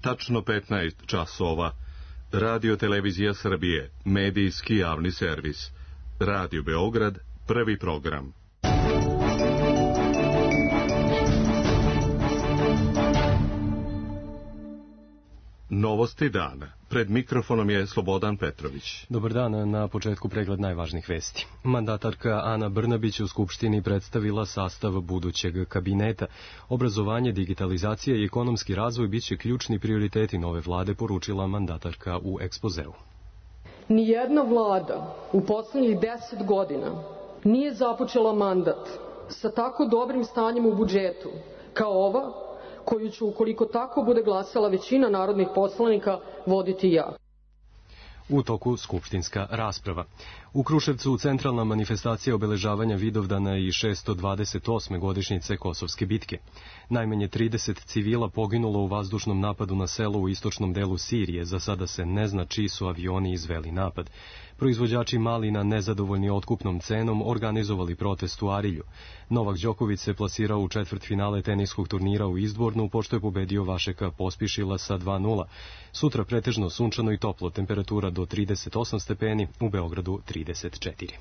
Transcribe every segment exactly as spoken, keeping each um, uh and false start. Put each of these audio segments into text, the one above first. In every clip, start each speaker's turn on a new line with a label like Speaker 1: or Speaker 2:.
Speaker 1: tačno petnaest časova. Radio Televizija Srbije, medijski javni servis. Radio Beograd, prvi program. Novosti dana. Pred mikrofonom je Slobodan Petrović.
Speaker 2: Dobar dan, na početku pregled najvažnijih vesti. Mandatarka Ana Brnabić u Skupštini predstavila sastav budućeg kabineta. Obrazovanje, digitalizacija i ekonomski razvoj biće ključni prioriteti nove vlade, poručila mandatarka u ekspozeu.
Speaker 3: Nijedna vlada u poslednjih deset godina nije započela mandat sa tako dobrim stanjem u budžetu kao ova, koju ću, ukoliko tako bude glasala većina narodnih poslanika, voditi ja.
Speaker 2: U toku skupštinska rasprava. U Kruševcu centralna manifestacija obeležavanja Vidovdana i šesto dvadeset osme godišnjice Kosovske bitke. Najmanje trideset civila poginulo u vazdušnom napadu na selo u istočnom delu Sirije. Za sada se ne zna čiji su avioni izveli napad. Proizvođači malina, nezadovoljni otkupnom cenom, organizovali protest u Arilju. Novak Đoković se plasirao u četvrtfinale teniskog turnira u Izdvornu, pošto je pobedio Vašeka Pospišila sa dva nula. Sutra pretežno sunčano i toplo, temperatura do trideset osam stepeni, u Beogradu trideset četiri.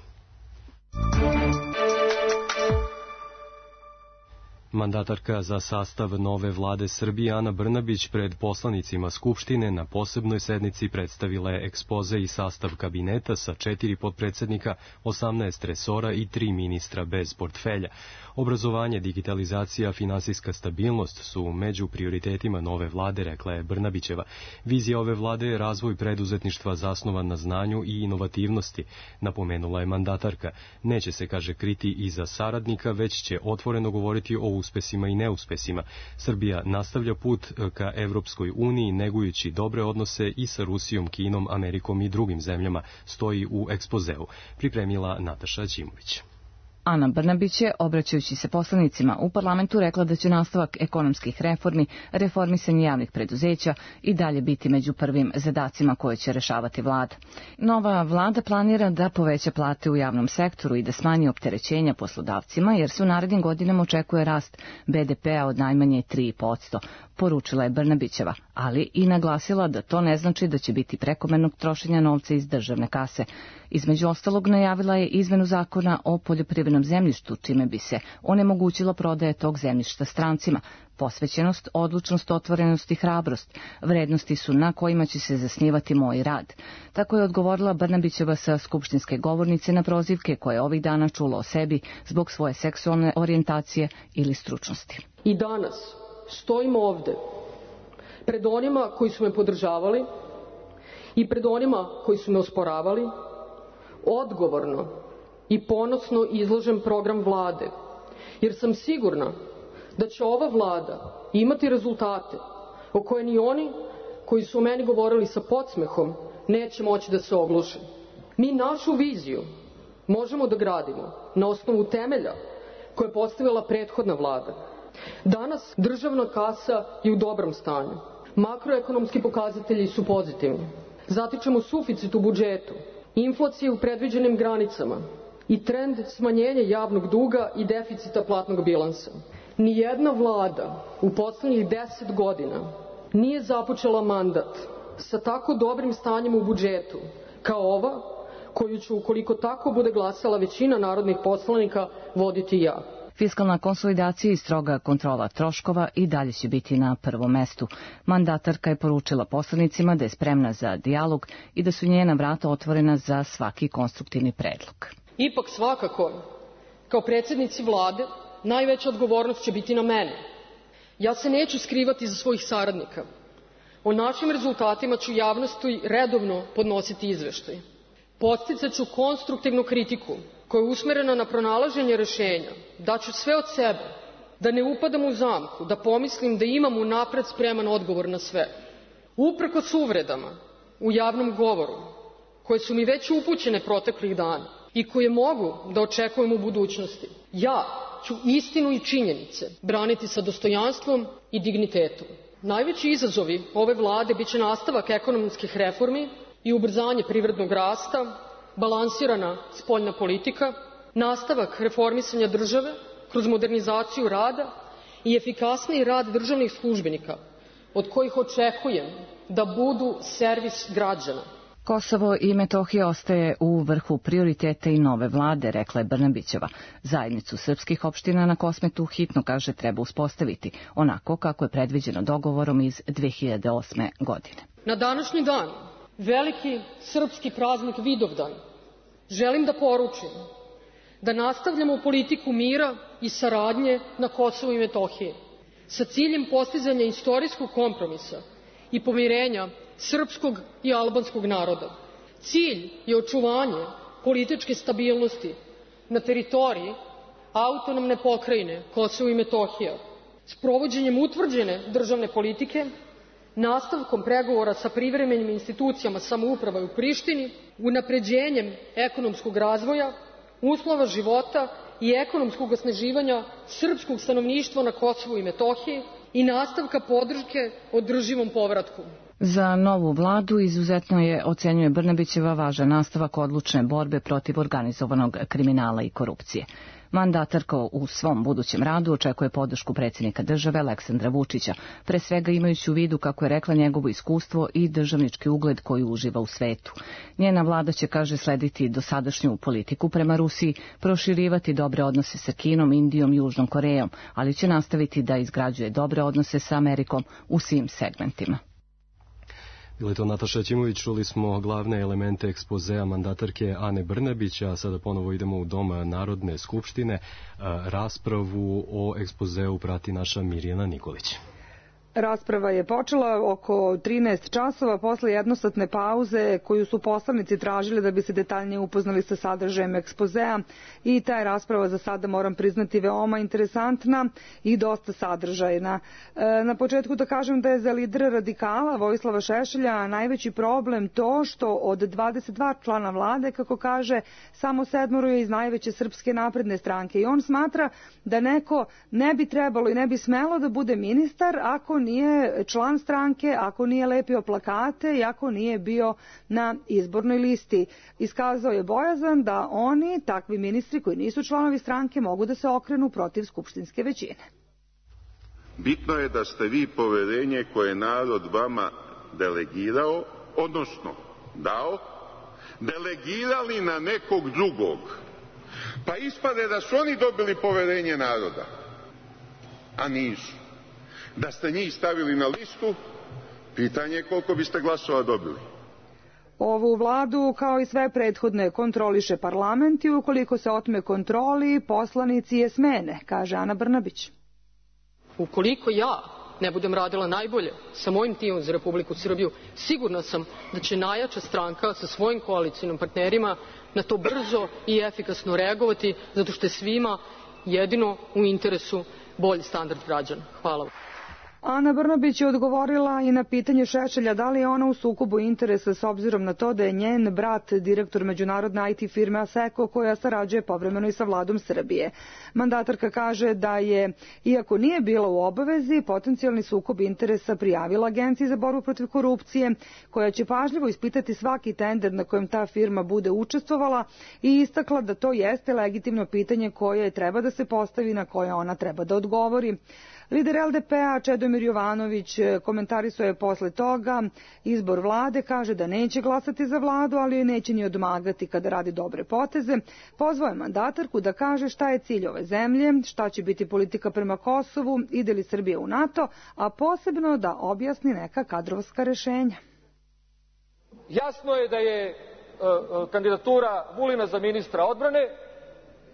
Speaker 2: Mandatarka za sastav nove vlade Srbije Ana Brnabić pred poslanicima Skupštine na posebnoj sednici predstavila je ekspoze i sastav kabineta sa četiri potpredsednika, osamnaest resora i tri ministra bez portfelja. Obrazovanje, digitalizacija, finansijska stabilnost su među prioritetima nove vlade, rekla je Brnabićeva. Vizija ove vlade je razvoj preduzetništva zasnovan na znanju i inovativnosti, napomenula je mandatarka. Neće se, kaže, kriti iza saradnika, već će otvoreno govoriti o uspesima i neuspesima. Srbija nastavlja put ka Evropskoj uniji, negujući dobre odnose i sa Rusijom, Kinom, Amerikom i drugim zemljama, stoji u ekspozeu, pripremila Nataša Ćimović.
Speaker 4: Ana Brnabić je, obraćajući se poslanicima u parlamentu, rekla da će nastavak ekonomskih reformi, reformisanje javnih preduzeća i dalje biti među prvim zadacima koje će rešavati vlada. Nova vlada planira da poveća plate u javnom sektoru i da smanji opterećenja poslodavcima, jer se u narednim godinama očekuje rast be de pe a od najmanje tri posto, poručila je Brnabićeva, ali i naglasila da to ne znači da će biti prekomernog trošenja novca iz državne kase. Između ostalog, najavila je izmenu zakona o poljoprivrednom zemljištu, čime bi se onemogućila prodaja tog zemljišta strancima. Posvećenost, odlučnost, otvorenost i hrabrost vrednosti su na kojima će se zasnivati moj rad. Tako je odgovorila Brnabićeva sa skupštinske govornice na prozivke koje ovih dana čula o sebi zbog svoje seksualne orijentacije ili stručnosti.
Speaker 3: I danas stojim ovde pred onima koji su me podržavali i pred onima koji su me osporavali, odgovorno i ponosno izložen program vlade, jer sam sigurna da će ova vlada imati rezultate o koje ni oni koji su o meni govorili sa podsmehom neće moći da se ogluše. Mi našu viziju možemo da gradimo na osnovu temelja koje je postavila prethodna vlada. Danas državna kasa je u dobrom stanju. Makroekonomski pokazatelji su pozitivni. Zatičemo suficit u budžetu, inflacije u predviđenim granicama i trend smanjenja javnog duga i deficita platnog bilansa. Nijedna vlada u poslednjih deset godina nije započela mandat sa tako dobrim stanjem u budžetu kao ova, koju ću, ukoliko tako bude glasala većina narodnih poslanika, voditi ja.
Speaker 4: Fiskalna konsolidacija i stroga kontrola troškova i dalje će biti na prvom mestu. Mandatarka je poručila poslanicima da je spremna za dijalog i da su njena vrata otvorena za svaki konstruktivni predlog.
Speaker 3: Ipak svakako, kao predsjednici vlade, najveća odgovornost će biti na mene. Ja se neću skrivati za svojih saradnika. O našim rezultatima ću javnosti redovno podnositi izveštaj. Podsticat ću konstruktivnu kritiku koja je usmerena na pronalaženje rešenja. Daću sve od sebe, da ne upadam u zamku, da pomislim da imam unapred spreman odgovor na sve. Uprkos uvredama u javnom govoru, koje su mi već upućene proteklih dana i koje mogu da očekujem u budućnosti, ja ću istinu i činjenice braniti sa dostojanstvom i dignitetom. Najveći izazovi ove vlade biće nastavak ekonomskih reformi i ubrzanje privrednog rasta, balansirana spoljna politika, nastavak reformisanja države kroz modernizaciju rada i efikasniji rad državnih službenika, od kojih očekujem da budu servis građana.
Speaker 4: Kosovo i Metohija ostaje u vrhu prioriteta i nove vlade, rekla je Brnabićeva. Zajednicu srpskih opština na Kosmetu hitno, kaže, treba uspostaviti, onako kako je predviđeno dogovorom iz dve hiljade osme. godine.
Speaker 3: Na današnji dan, veliki srpski praznik Vidovdan, želim da poručim da nastavljamo politiku mira i saradnje na Kosovu i Metohiji sa ciljem postizanja istorijskog kompromisa i pomirenja srpskog i albanskog naroda. Cilj je očuvanje političke stabilnosti na teritoriji autonomne pokrajine Kosovo i Metohija, sprovođenjem utvrđene državne politike, nastavkom pregovora sa privremenim institucijama samouprave u Prištini, unapređenjem ekonomskog razvoja, uslova života i ekonomskog osnaživanja srpskog stanovništva na Kosovu i Metohiji i nastavka podrške održivom povratku.
Speaker 4: Za novu vladu izuzetno je, ocenjuje Brnabićeva, važan nastavak odlučne borbe protiv organizovanog kriminala i korupcije. Mandatarka u svom budućem radu očekuje podršku predsjednika države Aleksandra Vučića, pre svega imajući u vidu, kako je rekla, njegovo iskustvo i državnički ugled koji uživa u svetu. Njena vlada će, kaže, slediti dosadašnju politiku prema Rusiji, proširivati dobre odnose sa Kinom, Indijom i Južnom Korejom, ali će nastaviti da izgrađuje dobre odnose sa Amerikom u svim segmentima.
Speaker 2: Bila je to Nataša Ćimović, čuli smo glavne elemente ekspozea mandatarke Ane Brnabić, a sada ponovo idemo u Dom Narodne skupštine. Raspravu o ekspozeu prati naša Mirjana Nikolić.
Speaker 5: Rasprava je počela oko trinaest časova posle jednosatne pauze koju su poslanici tražili da bi se detaljnije upoznali sa sadržajem ekspozea, i ta je rasprava za sada, moram priznati, veoma interesantna i dosta sadržajna. Na početku da kažem da je za lidera radikala Vojislava Šešelja najveći problem to što od dvadeset dva člana vlade, kako kaže, samo sedmoro je iz najveće Srpske napredne stranke, i on smatra da neko ne bi trebalo i ne bi smelo da bude ministar ako nije član stranke, ako nije lepio plakate i ako nije bio na izbornoj listi. Iskazao je bojazan da oni, takvi ministri koji nisu članovi stranke, mogu da se okrenu protiv skupštinske većine.
Speaker 6: Bitno je da ste vi poverenje koje je narod vama delegirao, odnosno dao, delegirali na nekog drugog. Pa ispade da su oni dobili poverenje naroda, a nisu. Da ste njih stavili na listu, pitanje je koliko biste glasova dobili.
Speaker 5: Ovu vladu, kao i sve prethodne, kontroliše parlament i ukoliko se otme kontroli, poslanici je smene, kaže Ana Brnabić.
Speaker 3: Ukoliko ja ne budem radila najbolje sa mojim timom za Republiku Srbiju, sigurna sam da će najjača stranka sa svojim koalicijnim partnerima na to brzo i efikasno reagovati, zato što je svima jedino u interesu bolji standard građana. Hvala vam.
Speaker 5: Ana Brnabić je odgovorila i na pitanje Šešelja da li je ona u sukobu interesa s obzirom na to da je njen brat direktor međunarodne I T firme Asseco, koja sarađuje povremeno i sa vladom Srbije. Mandatarka kaže da je, iako nije bila u obavezi, potencijalni sukob interesa prijavila Agenciji za borbu protiv korupcije, koja će pažljivo ispitati svaki tender na kojem ta firma bude učestvovala, i istakla da to jeste legitimno pitanje koje treba da se postavi, na koje ona treba da odgovori. Lider L D P-a Čedomir Jovanović komentarisao je posle toga izbor vlade, kaže da neće glasati za vladu, ali neće ni odmagati kada radi dobre poteze. Pozvao je mandatarku da kaže šta je cilj ove zemlje, šta će biti politika prema Kosovu, ide li Srbija u NATO, a posebno da objasni neka kadrovska rešenja.
Speaker 7: Jasno je da je uh, kandidatura Vulina za ministra odbrane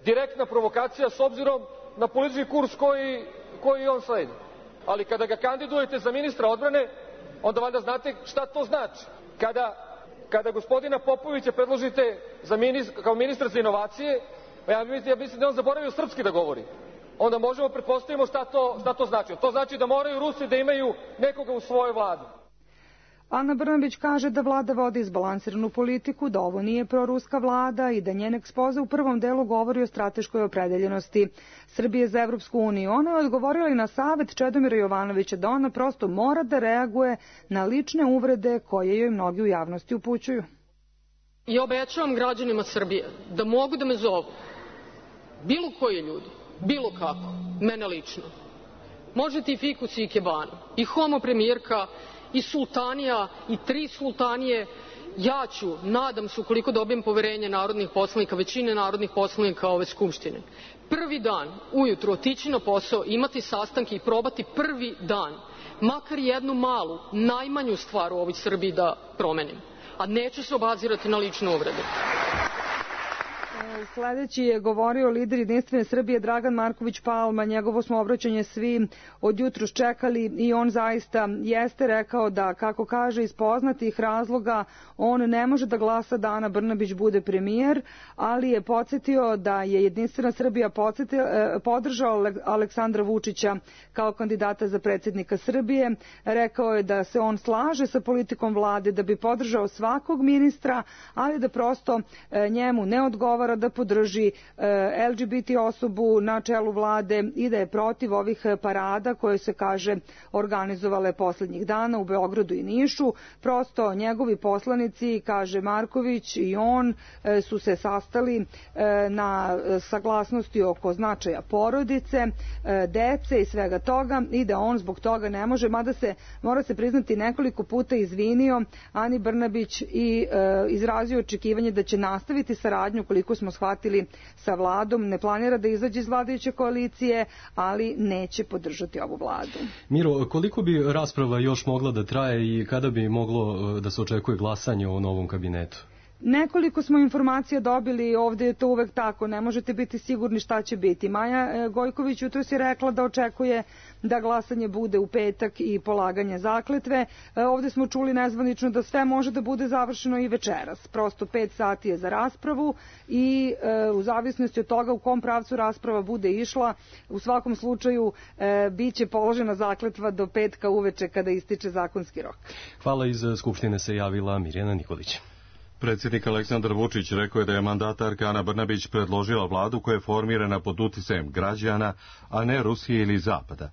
Speaker 7: direktna provokacija s obzirom na politički kurs koji koji on sledi. Ali kada ga kandidujete za ministra odbrane, onda valjda znate šta to znači. Kada, kada gospodina Popovića predložite za ministra, kao ministra za inovacije, ja, ja mislim da on zaboravio srpski da govori. Onda možemo pretpostavimo šta to, šta to znači. To znači da moraju Rusi da imaju nekoga u svojoj vladi.
Speaker 5: Ana Brnabić kaže da vlada vodi izbalansiranu politiku, da ovo nije proruska vlada i da njen ekspoze u prvom delu govori o strateškoj opredeljenosti Srbije za Evropsku uniju. Ona je odgovorila i na savet Čedomira Jovanovića da ona prosto mora da reaguje na lične uvrede koje joj mnogi u javnosti upućuju.
Speaker 3: I obećavam građanima Srbije da mogu da me zovu bilo koji ljudi, bilo kako, mene lično, Možete i fikus i ikebanu, i homo premijerka, i sultanija, i tri sultanije. Ja ću, nadam se, ukoliko dobijem poverenje narodnih poslanika, većine narodnih poslanika ove Skupštine, prvi dan ujutru otići na posao, imati sastanke i probati prvi dan makar jednu malu, najmanju stvar u ovoj Srbiji da promenim, a neću se obazirati na lične uvrede.
Speaker 5: Sledeći je govorio lider Jedinstvene Srbije Dragan Marković Palma. Njegovo smo obraćanje svi od jutros čekali i on zaista jeste rekao da, kako kaže, iz poznatih razloga on ne može da glasa da Ana Brnabić bude premijer, ali je podsjetio da je Jedinstvena Srbija podržao Aleksandra Vučića kao kandidata za predsjednika Srbije. Rekao je da se on slaže sa politikom vlade, da bi podržao svakog ministra, ali da prosto njemu ne odgovara da podrži L G B T osobu na čelu vlade i da je protiv ovih parada koje se, kaže, organizovale poslednjih dana u Beogradu i Nišu. Prosto njegovi poslanici, kaže Marković, i on su se sastali na saglasnosti oko značaja porodice, dece i svega toga i da on zbog toga ne može, mada se, mora se priznati, nekoliko puta izvinio Ani Brnabić i izrazio očekivanje da će nastaviti saradnju, koliko smo shvatili, sa vladom. Ne planira da izađe iz vladajuće koalicije, ali neće podržati ovu vladu.
Speaker 2: Miro, koliko bi rasprava još mogla da traje i kada bi moglo da se očekuje glasanje o novom kabinetu?
Speaker 5: Nekoliko smo informacija dobili, ovde je to uvek tako, ne možete biti sigurni šta će biti. Maja Gojković jutros je rekla da očekuje da glasanje bude u petak i polaganje zakletve. Ovde smo čuli nezvanično da sve može da bude završeno i večeras. Prosto pet sati je za raspravu i u zavisnosti od toga u kom pravcu rasprava bude išla, u svakom slučaju biće položena zakletva do petka uveče kada ističe zakonski rok.
Speaker 2: Hvala, iz Skupštine se javila Mirjana Nikolić.
Speaker 1: Predsjednik Aleksandar Vučić rekao je da je mandatarka Ana Brnabić predložila vladu koja je formirana pod uticajem građana, a ne Rusije ili Zapada.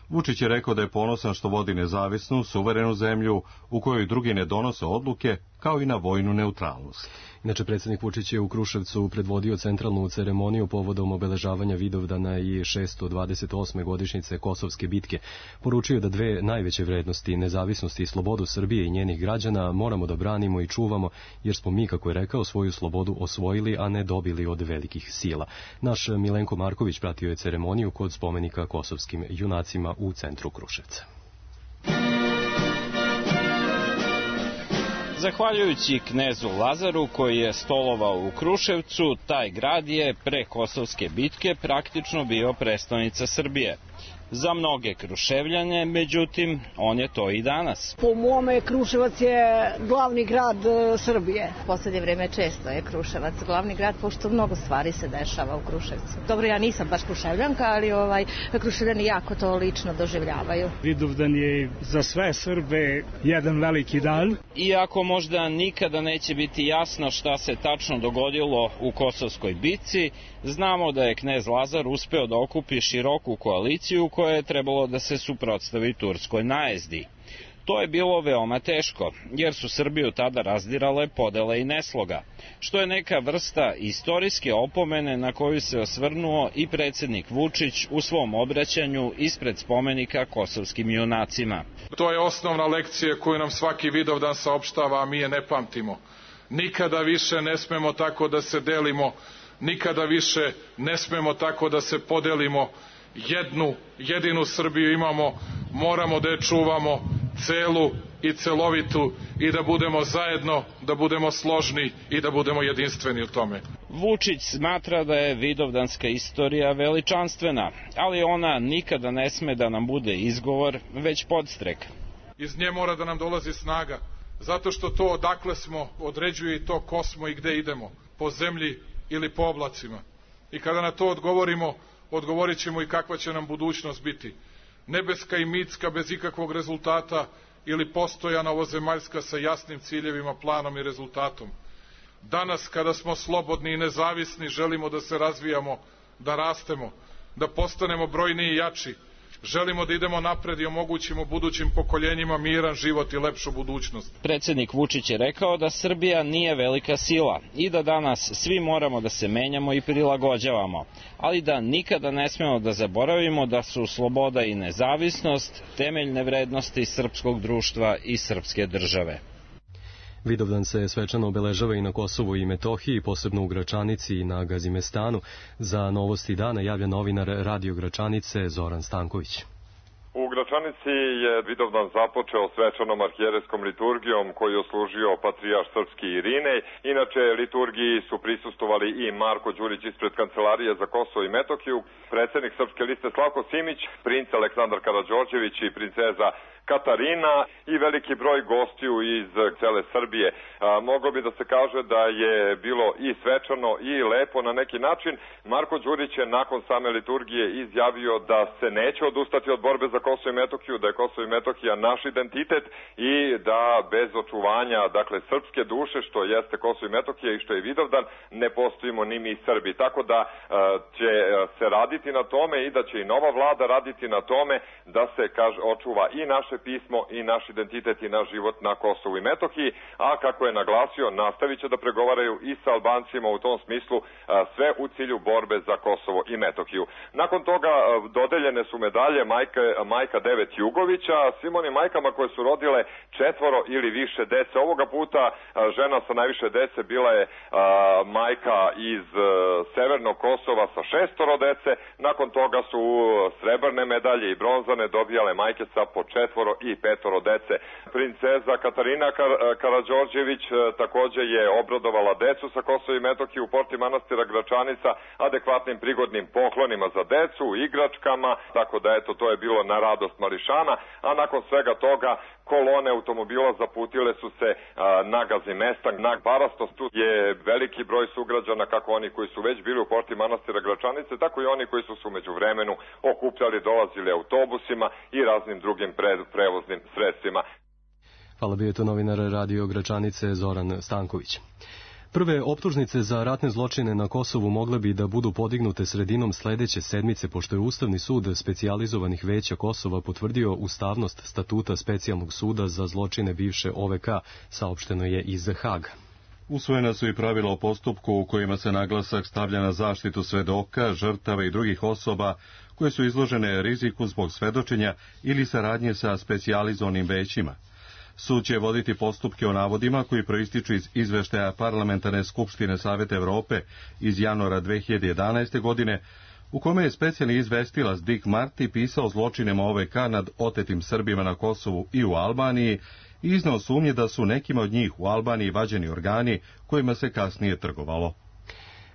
Speaker 1: Vučić je rekao da je ponosan što vodi nezavisnu, suverenu zemlju u kojoj drugi ne donose odluke, kao i na vojnu neutralnost.
Speaker 2: Inače, predsjednik Vučić je u Kruševcu predvodio centralnu ceremoniju povodom obeležavanja Vidovdana i šesto dvadeset osme godišnjice Kosovske bitke. Poručio da dve najveće vrednosti, nezavisnosti i slobodu Srbije i njenih građana, moramo da branimo i čuvamo, jer smo mi, kako je rekao, svoju slobodu osvojili, a ne dobili od velikih sila. Naš Milenko Marković pratio je ceremoniju kod spomenika kosovskim junacima u centru Kruševca.
Speaker 8: Zahvaljujući knezu Lazaru koji je stolovao u Kruševcu, taj grad je pre Kosovske bitke praktično bio prestonica Srbije. Za mnoge Kruševljane, međutim, on je to i danas.
Speaker 9: Po mome, Kruševac je glavni grad Srbije.
Speaker 10: U poslednje vreme često je Kruševac glavni grad, pošto mnogo stvari se dešava u Kruševcu. Dobro, ja nisam baš Kruševljanka, ali ovaj, Kruševljani jako to lično doživljavaju.
Speaker 11: Vidovdan je za sve Srbe jedan veliki dan.
Speaker 8: Iako možda nikada neće biti jasno šta se tačno dogodilo u Kosovskoj bitci, znamo da je knez Lazar uspeo da okupi široku koaliciju koja je trebalo da se suprotstavi turskoj najezdi. To je bilo veoma teško, jer su Srbiju tada razdirale podele i nesloga, što je neka vrsta istorijske opomene na koju se osvrnuo i predsjednik Vučić u svom obraćanju ispred spomenika kosovskim junacima.
Speaker 12: To je osnovna lekcija koju nam svaki Vidovdan saopštava, a mi je ne pamtimo. Nikada više ne smemo tako da se delimo, nikada više ne smemo tako da se podelimo. Jednu, jedinu Srbiju imamo, moramo da je čuvamo celu i celovitu i da budemo zajedno, da budemo složni i da budemo jedinstveni u tome.
Speaker 8: Vučić smatra da je vidovdanska istorija veličanstvena, ali ona nikada ne sme da nam bude izgovor, već podstrek.
Speaker 12: Iz nje mora da nam dolazi snaga, zato što to odakle smo određuje i to ko smo i gde idemo, po zemlji ili po oblacima. I kada na to odgovorimo, odgovorit ćemo i kakva će nam budućnost biti. Nebeska i mitska bez ikakvog rezultata ili postojana ovozemaljska sa jasnim ciljevima, planom i rezultatom. Danas kada smo slobodni i nezavisni želimo da se razvijamo, da rastemo, da postanemo brojniji i jači, Želimo da idemo napred i omogućimo budućim pokoljenjima miran život i lepšu budućnost.
Speaker 8: Predsednik Vučić je rekao da Srbija nije velika sila i da danas svi moramo da se menjamo i prilagođavamo, ali da nikada ne smemo da zaboravimo da su sloboda i nezavisnost temeljne vrednosti srpskog društva i srpske države.
Speaker 2: Vidovdan se svečano obeležava i na Kosovu i Metohiji, posebno u Gračanici i na Gazimestanu. Za Novosti dana javlja novinar Radio Gračanice Zoran Stanković.
Speaker 13: U Gračanici je Vidovdan započeo svečanom arhijerejskom liturgijom koju je služio patrijarh srpski Irinej. Inače, liturgiji su prisustovali i Marko Đurić ispred Kancelarije za Kosovo i Metohiju, predsednik Srpske liste Slavko Simić, princ Aleksandar Karađorđević i princeza Katarina i veliki broj gostiju iz cele Srbije. A, moglo bi da se kaže da je bilo i svečano i lepo na neki način. Marko Đurić je nakon same liturgije izjavio da se neće odustati od borbe za Kosovo i Metohiju, da je Kosovo i Metohija naš identitet i da bez očuvanja, dakle, srpske duše, što jeste Kosovo i Metohija i što je Vidovdan, ne postojimo ni mi Srbi. Tako da a, će se raditi na tome i da će i nova vlada raditi na tome da se kaže, očuva i naše pismo i naš identitet i naš život na Kosovu i Metohiji, a kako je naglasio, nastavit će da pregovaraju i sa Albancima u tom smislu, a, sve u cilju borbe za Kosovo i Metohiju. Nakon toga a, dodeljene su medalje majke, majka devet Jugovića, svim onim majkama koje su rodile četvoro ili više dece. Ovoga puta a, žena sa najviše dece bila je a, majka iz a, Severnog Kosova sa šestoro dece, nakon toga su srebrne medalje i bronzane dobijale majke sa po četvoro i petoro dece. Princeza Katarina Kar Karađorđević takođe je obradovala decu sa Kosova i Metohije u porti manastira Gračanica adekvatnim prigodnim poklonima za decu, igračkama, tako da eto, to je bilo na radost mališana, a nakon svega toga kolone automobila zaputile su se a, na Gazimestan, na Barastost. Tu je veliki broj sugrađana, kako oni koji su već bili u porti manastira Gračanice, tako i oni koji su se umeđu vremenu okupljali, dolazili autobusima i raznim drugim pre, prevoznim sredstvima.
Speaker 2: Hvala, bio je to novinar Radio Gračanice Zoran Stanković. Prve optužnice za ratne zločine na Kosovu mogle bi da budu podignute sredinom sledeće sedmice, pošto je Ustavni sud specijalizovanih veća Kosova potvrdio ustavnost statuta specijalnog suda za zločine bivše O V K, saopšteno je iz Haga.
Speaker 1: Usvojena su i pravila o postupku u kojima se naglasak stavlja na zaštitu svedoka, žrtava i drugih osoba koje su izložene riziku zbog svedočenja ili saradnje sa specijalizovanim većima. Sud će voditi postupke o navodima koji proističu iz izveštaja Parlamentarne skupštine Saveta Evrope iz januara dve hiljade jedanaeste. godine, u kome je specijalni izvestilac Dick Marty pisao zločinima O V K nad otetim Srbima na Kosovu i u Albaniji i iznao sumnje da su nekima od njih u Albaniji vađeni organi kojima se kasnije trgovalo.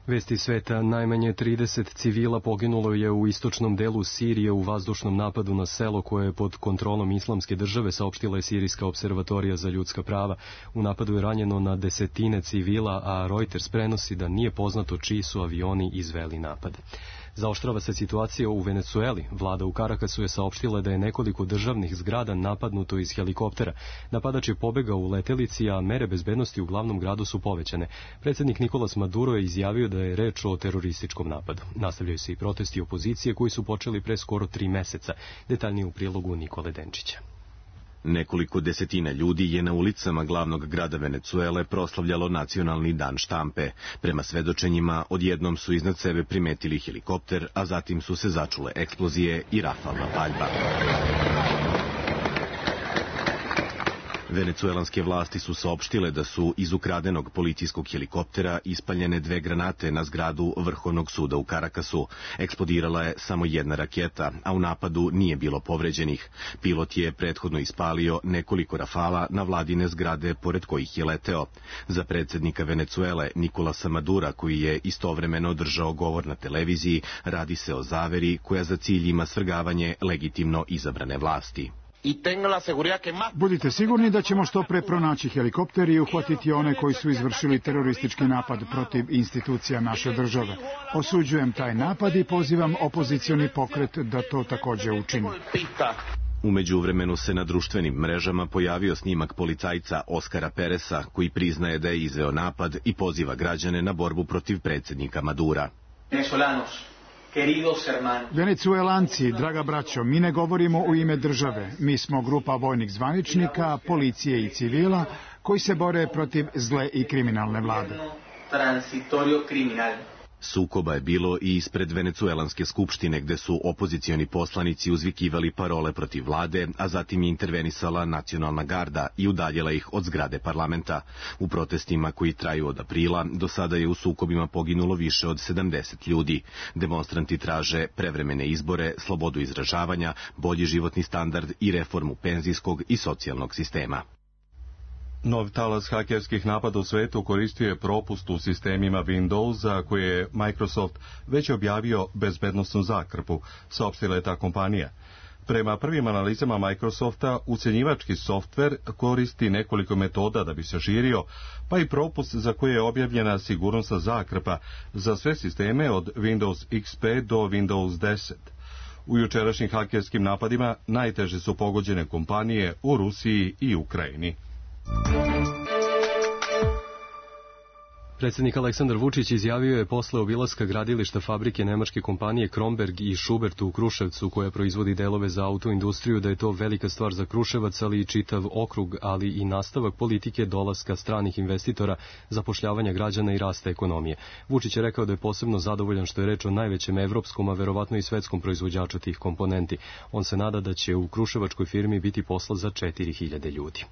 Speaker 2: Vesti sveta, najmanje trideset civila poginulo je u istočnom delu Sirije u vazdušnom napadu na selo koje je pod kontrolom Islamske države, saopštila je Sirijska observatorija za ljudska prava. U napadu je ranjeno na desetine civila, a Reuters prenosi da nije poznato čiji su avioni izveli napad. Zaoštrava se situacija u Venecueli. Vlada u Karakasu je saopštila da je nekoliko državnih zgrada napadnuto iz helikoptera. Napadač je pobegao u letelici, a mere bezbednosti u glavnom gradu su povećane. Predsednik Nikolas Maduro je izjavio da je reč o terorističkom napadu. Nastavljaju se i protesti opozicije koji su počeli pre skoro tri meseca. Detaljnije u prilogu Nikole Denčića.
Speaker 14: Nekoliko desetina ljudi je na ulicama glavnog grada Venecuele proslavljalo nacionalni dan štampe. Prema svedočenjima, odjednom su iznad sebe primetili helikopter, a zatim su se začule eksplozije i rafalna paljba. Venecuelanske vlasti su saopštile da su iz ukradenog policijskog helikoptera ispaljene dve granate na zgradu Vrhovnog suda u Karakasu. Eksplodirala je samo jedna raketa, a u napadu nije bilo povređenih. Pilot je prethodno ispalio nekoliko rafala na vladine zgrade pored kojih je leteo. Za predsednika Venecuele Nikolasa Madura, koji je istovremeno održao govor na televiziji, radi se o zaveri koja za cilj ima svrgavanje legitimno izabrane vlasti.
Speaker 15: Budite sigurni da ćemo što pre pronaći helikopter i uhvatiti one koji su izvršili teroristički napad protiv institucija naše države. Osuđujem taj napad i pozivam opozicioni pokret da to takođe učini.
Speaker 14: U međuvremenu se na društvenim mrežama pojavio snimak policajca Oskara Peresa, koji priznaje da je izveo napad i poziva građane na borbu protiv predsednika Madura.
Speaker 15: Venecuelanci, draga braćo, mi ne govorimo u ime države. Mi smo grupa vojnih zvaničnika, policije i civila koji se bore protiv zle i kriminalne vlade.
Speaker 14: Sukoba je bilo i ispred Venecuelanske skupštine, gde su opozicioni poslanici uzvikivali parole protiv vlade, a zatim je intervenisala nacionalna garda i udaljila ih od zgrade parlamenta. U protestima koji traju od aprila, do sada je u sukobima poginulo više od sedamdeset ljudi. Demonstranti traže prevremene izbore, slobodu izražavanja, bolji životni standard i reformu penzijskog i socijalnog sistema.
Speaker 1: Nov talas hakerskih napada u svetu koristio je propust u sistemima Windows za koje je Microsoft već objavio bezbednosnu zakrpu, saopštila je ta kompanija. Prema prvim analizama Microsofta, ucenjivački softver koristi nekoliko metoda da bi se širio, pa i propust za koje je objavljena sigurnosna zakrpa za sve sisteme od Windows X P do Windows deset. U jučerašnjim hakerskim napadima najteže su pogođene kompanije u Rusiji i Ukrajini.
Speaker 2: Predsjednik Aleksandar Vučić izjavio je posle obilaska gradilišta fabrike nemačke kompanije Kromberg i Schubert u Kruševcu, koja proizvodi delove za autoindustriju, da je to velika stvar za Kruševac, ali i čitav okrug, ali i nastavak politike dolaska stranih investitora, zapošljavanja građana i rasta ekonomije. Vučić je rekao da je posebno zadovoljan što je reč o najvećem evropskom, a verovatno i svetskom proizvođaču tih komponenti. On se nada da će u kruševačkoj firmi biti posla za četiri hiljade ljudi.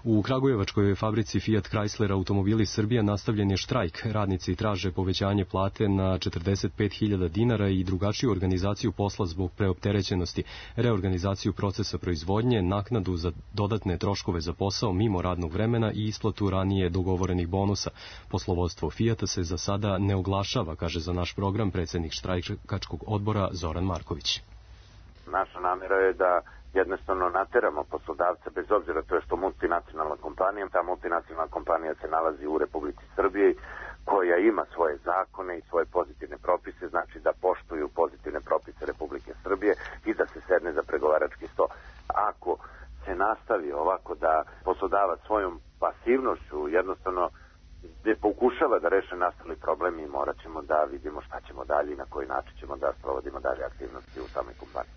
Speaker 2: U Kragujevačkoj fabrici Fiat Chrysler Automobili Srbija nastavljen je štrajk. Radnici traže povećanje plate na četrdeset pet hiljada dinara i drugačiju organizaciju posla zbog preopterećenosti, reorganizaciju procesa proizvodnje, naknadu za dodatne troškove za posao mimo radnog vremena i isplatu ranije dogovorenih bonusa. Poslovodstvo Fiata se za sada ne oglašava, kaže za naš program predsjednik štrajkačkog odbora Zoran Marković.
Speaker 16: Naša namjera je da jednostavno nateramo poslodavce, bez obzira to je što multinacionalna kompanija, ta multinacionalna kompanija se nalazi u Republici Srbiji, koja ima svoje zakone i svoje pozitivne propise, znači da poštuju pozitivne propise Republike Srbije i da se sedne za pregovarački sto. Ako se nastavi ovako da poslodavac svojom pasivnošću jednostavno gde pokušava da reše nastali problem, i morat ćemo da vidimo šta ćemo dalje i na koji način ćemo da sprovodimo dalje aktivnosti u samoj kompaniji.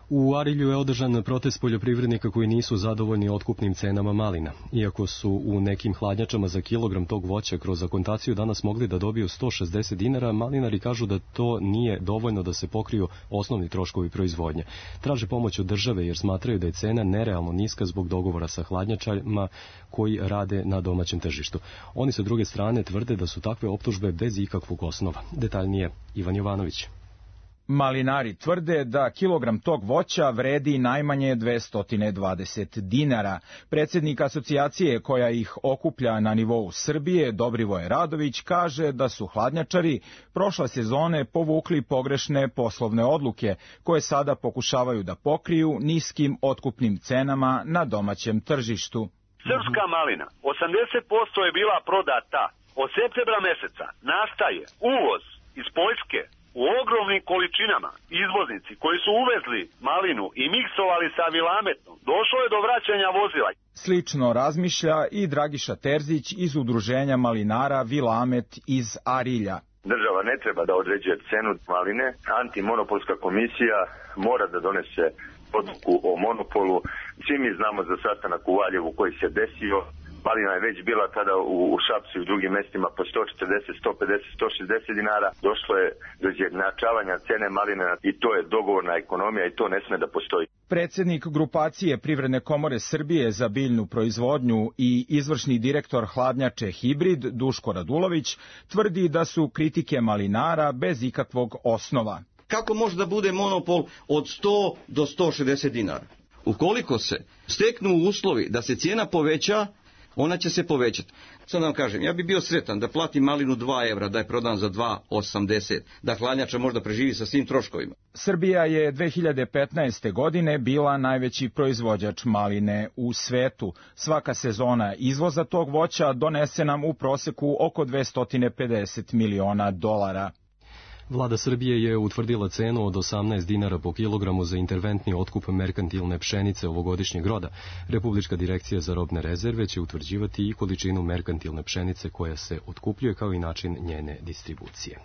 Speaker 2: U Arilju je održan protest poljoprivrednika koji nisu zadovoljni otkupnim cenama malina. Iako su u nekim hladnjačama za kilogram tog voća kroz akontaciju danas mogli da dobiju sto šezdeset dinara, malinari kažu da to nije dovoljno da se pokriju osnovni troškovi proizvodnje. Traže pomoć od države jer smatraju da je cena nerealno niska zbog dogovora sa hladnjačama koji rade na domaćem tržištu. Oni sa druge strane tvrde da su takve optužbe bez ikakvog osnova. Detaljnije Ivan Jovanović.
Speaker 17: Malinari tvrde da kilogram tog voća vredi najmanje dvesta dvadeset dinara. Predsjednik asocijacije koja ih okuplja na nivou Srbije, Dobrivoje Radović, kaže da su hladnjačari prošle sezone povukli pogrešne poslovne odluke, koje sada pokušavaju da pokriju niskim otkupnim cenama na domaćem tržištu.
Speaker 18: Srpska malina, osamdeset posto je bila prodata. Od septembra meseca nastaje uvoz iz Poljske u ogromnim količinama. Izvoznici koji su uvezli malinu i miksovali sa vilametnom, došlo je do vraćanja vozila.
Speaker 17: Slično razmišlja i Dragiša Terzić iz udruženja malinara Vilamet iz Arilja.
Speaker 18: Država ne treba da određuje cenu maline. Antimonopolska komisija mora da donese odluku o monopolu. Svi mi znamo za sastanak u Valjevu koji se desio. Malina je već bila tada u, u Šapcu i u drugim mestima po sto četrdeset, sto pedeset, sto šezdeset dinara. Došlo je do izjednačavanja cene maline i to je dogovorna ekonomija i to ne sme da postoji.
Speaker 17: Predsjednik grupacije Privredne komore Srbije za biljnu proizvodnju i izvršni direktor hladnjače Hibrid Duško Radulović tvrdi da su kritike malinara bez ikakvog osnova.
Speaker 19: Kako može da bude monopol od sto do sto šezdeset dinara? Ukoliko se steknu uslovi da se cijena poveća, ona će se povećati. Sad vam kažem, ja bih bio sretan da platim malinu dva evra, da je prodan za dva osamdeset, da hladnjača možda preživi sa svim troškovima.
Speaker 17: Srbija je dve hiljade petnaeste. godine bila najveći proizvođač maline u svetu. Svaka sezona izvoza tog voća donese nam u proseku oko dvesta pedeset miliona dolara.
Speaker 2: Vlada Srbije je utvrdila cenu od osamnaest dinara po kilogramu za interventni otkup merkantilne pšenice ovogodišnjeg roda. Republička direkcija za robne rezerve će utvrđivati i količinu merkantilne pšenice koja se otkupljuje kao i način njene distribucije.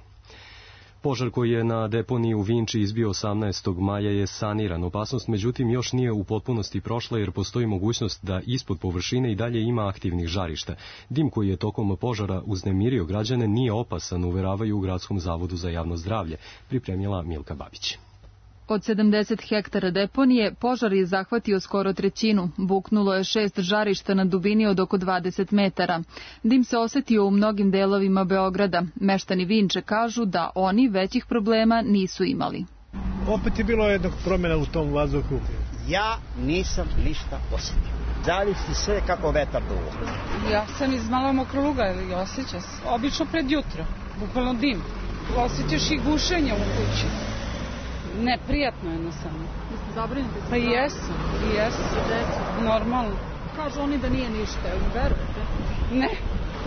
Speaker 2: Požar koji je na deponiji u Vinči izbio osamnaestog maja je saniran. Opasnost međutim još nije u potpunosti prošla jer postoji mogućnost da ispod površine i dalje ima aktivnih žarišta. Dim koji je tokom požara uznemirio građane nije opasan, uveravaju u Gradskom zavodu za javno zdravlje, pripremila Milka Babić.
Speaker 20: Od sedamdeset hektara deponije požar je zahvatio skoro trećinu. Buknulo je šest žarišta na dubini od oko dvadeset metara. Dim se osetio u mnogim delovima Beograda. Meštani Vinče kažu da oni većih problema nisu imali.
Speaker 21: Opet je bilo jednog promjena u tom vazduhu.
Speaker 22: Ja nisam ništa osjetio. Zavisi sve kako vetar duvo.
Speaker 23: Ja sam iz Malog Mokroluga i osjeća se. Obično pred jutro, bukvalno dim. Osjećaš i gušenje u kući. Neprijatno jednostavno.
Speaker 20: Jeste zabrinuti?
Speaker 23: Pa jesu, jesu. Normalno.
Speaker 20: Kažu oni da nije ništa, jel mi verujete?
Speaker 23: Ne,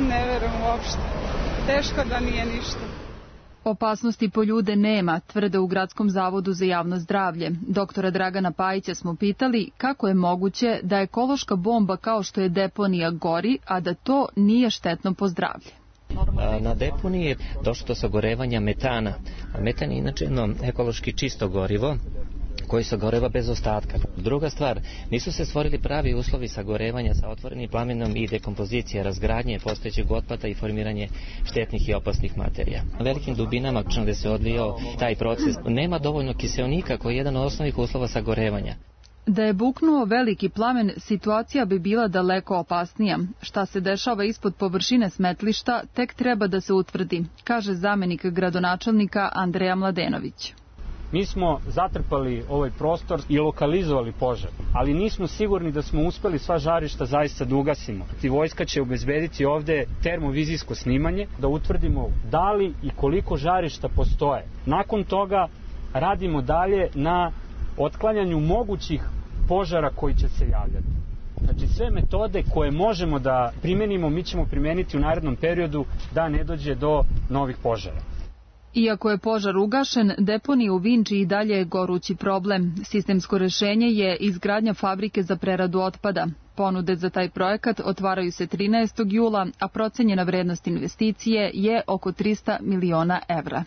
Speaker 23: ne verujem uopšte. Teško da nije ništa.
Speaker 20: Opasnosti po ljude nema, tvrde u Gradskom zavodu za javno zdravlje. Doktora Dragana Pajića smo pitali kako je moguće da ekološka bomba kao što je deponija gori, a da to nije štetno po zdravlje.
Speaker 24: Na deponiji je došlo do sagorevanja metana. Metan je inače jedno ekološki čisto gorivo koji sagoreva bez ostatka. Druga stvar, nisu se stvorili pravi uslovi sagorevanja sa otvorenim plamenom i dekompozicije, razgradnje postojećeg otpada i formiranje štetnih i opasnih materija. Na velikim dubinama gde se odvijao taj proces nema dovoljno kiseonika koji je jedan od osnovnih uslova sagorevanja.
Speaker 20: Da je buknuo veliki plamen, situacija bi bila daleko opasnija. Šta se dešava ispod površine smetlišta, tek treba da se utvrdi, kaže zamenik gradonačelnika Andreja Mladenović.
Speaker 25: Mi smo zatrpali ovaj prostor i lokalizovali požar, ali nismo sigurni da smo uspeli sva žarišta zaista da ugasimo. I vojska će obezbediti ovde termovizijsko snimanje, da utvrdimo da li i koliko žarišta postoje. Nakon toga radimo dalje na otklanjanju mogućih požara koji će se javljati. Znači sve metode koje možemo da primenimo, mi ćemo primeniti u narednom periodu da ne dođe do novih požara.
Speaker 20: Iako je požar ugašen, deponija u Vinči i dalje je gorući problem. Sistemsko rešenje je izgradnja fabrike za preradu otpada. Ponude za taj projekat otvaraju se trinaestog jula, a procenjena vrednost investicije je oko trista miliona evra.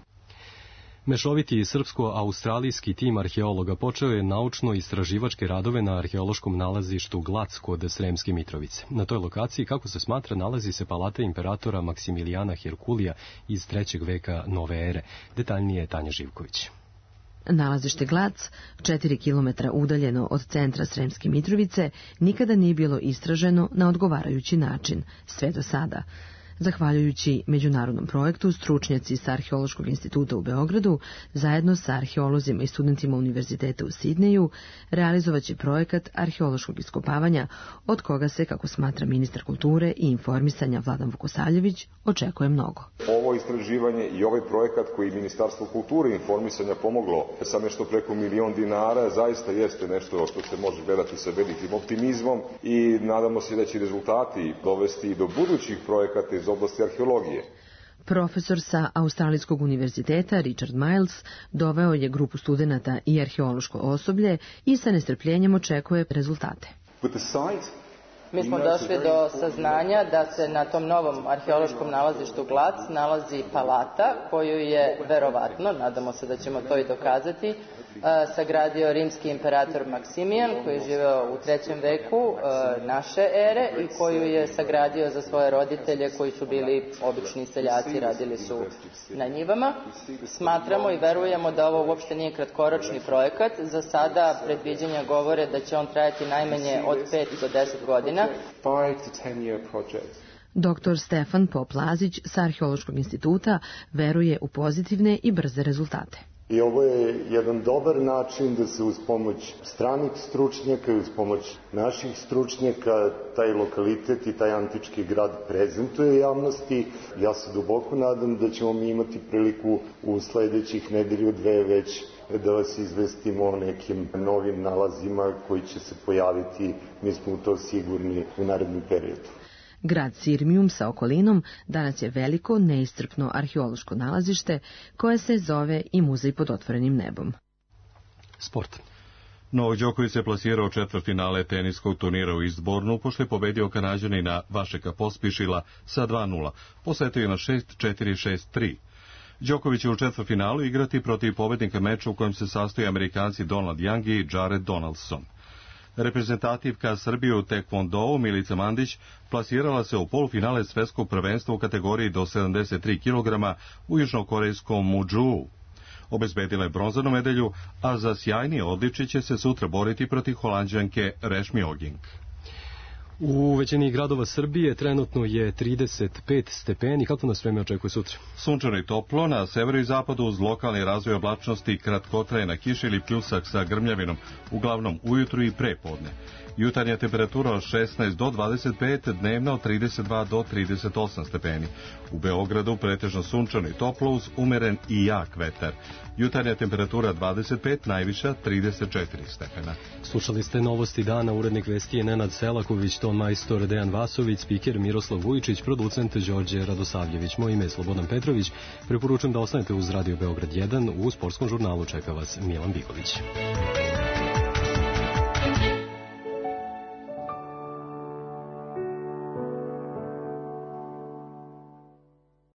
Speaker 2: Mešoviti srpsko-australijski tim arheologa počeo je naučno-istraživačke radove na arheološkom nalazištu Glac kod Sremske Mitrovice. Na toj lokaciji, kako se smatra, nalazi se palata imperatora Maksimilijana Herkulija iz trećeg veka nove ere. Detaljnije je Tanja Živković.
Speaker 26: Nalazište Glac, četiri kilometra udaljeno od centra Sremske Mitrovice, nikada nije bilo istraženo na odgovarajući način, sve do sada. Zahvaljujući međunarodnom projektu, stručnjaci sa Arheološkog instituta u Beogradu, zajedno sa arheolozima i studentima Univerziteta u Sidneju, realizovaće projekat arheološkog iskopavanja, od koga se, kako smatra ministar kulture i informisanja Vladan Vukosavljević, očekuje mnogo.
Speaker 27: Ovo istraživanje i ovaj projekat koji Ministarstvo kulture i informisanja pomoglo sa nešto preko milion dinara, zaista jeste nešto što se može gledati sa velikim optimizmom i nadamo se da će rezultati dovesti do budućih projekata iz oblasti arheologije.
Speaker 26: Profesor sa Australijskog univerziteta Richard Miles doveo je grupu studenata i arheološko osoblje i sa nestrpljenjem očekuje rezultate.
Speaker 28: Mi smo došli do saznanja da se na tom novom arheološkom nalazištu Glac nalazi palata koju je verovatno, nadamo se da ćemo to i dokazati, sagradio rimski imperator Maksimijan koji je živeo u trećem veku naše ere i koju je sagradio za svoje roditelje koji su bili obični seljaci, radili su na njivama. Smatramo i verujemo da ovo uopšte nije kratkoročni projekat. Za sada predviđanja govore da će on trajati najmanje od pet do deset godina.
Speaker 26: Doktor Stefan Pop-Lazić sa Arheološkog instituta veruje u pozitivne i brze rezultate.
Speaker 29: I ovo je jedan dobar način da se uz pomoć stranih stručnjaka i uz pomoć naših stručnjaka taj lokalitet i taj antički grad prezentuje javnosti. Ja se duboko nadam da ćemo mi imati priliku u sledećih nedelju dve već da vas izvestimo o nekim novim nalazima koji će se pojaviti, mi smo u to sigurni, u narednom periodu.
Speaker 26: Grad Sirmium sa okolinom danas je veliko, neiscrpno arheološko nalazište koje se zove i muzej pod otvorenim nebom.
Speaker 2: Sport.
Speaker 1: Novak Đoković se plasirao četvrtfinale teniskog turnira u Eastbournu, pošto je pobedio Kanađanina Vašeka Pospišila sa dva nula. Posetio je na šest četiri šest tri. Đoković će u četvrtfinalu igrati protiv pobednika meča u kojem se sastoje Amerikanci Donald Young i Jared Donaldson. Reprezentativka Srbije u tekvondou Milica Mandić plasirala se u polufinale svetskog prvenstva u kategoriji do sedamdeset tri kilograma u južnokorejskom Muđuu. Obezbedila je bronzanu medalju, a za sjajnije odličje će se sutra boriti protiv Holanđanke Rešmi Oging.
Speaker 2: U većini gradova Srbije trenutno je trideset pet stepeni. Kako nas vreme očekuje sutra?
Speaker 1: Sunčano i toplo, na severu i zapadu uz lokalni razvoj oblačnosti, kratkotrajna kiša ili pljusak sa grmljavinom, uglavnom ujutru i prepodne. Jutarnja temperatura od šesnaest do dvadeset pet, dnevna od trideset dva do trideset osam stepeni. U Beogradu pretežno sunčano i toplo uz umeren i jak vetar. Jutarnja temperatura dvadeset pet, najviša trideset četiri stepena.
Speaker 2: Slušali ste novosti dana, urednik vesti je Nenad Selaković, ton majstor Dejan Vasović, spiker Miroslav Vujičić, producent Đorđe Radosavljević. Moje ime je Slobodan Petrović. Preporučujem da ostanete uz Radio Beograd jedan. U sportskom žurnalu čeka vas Milan Biković.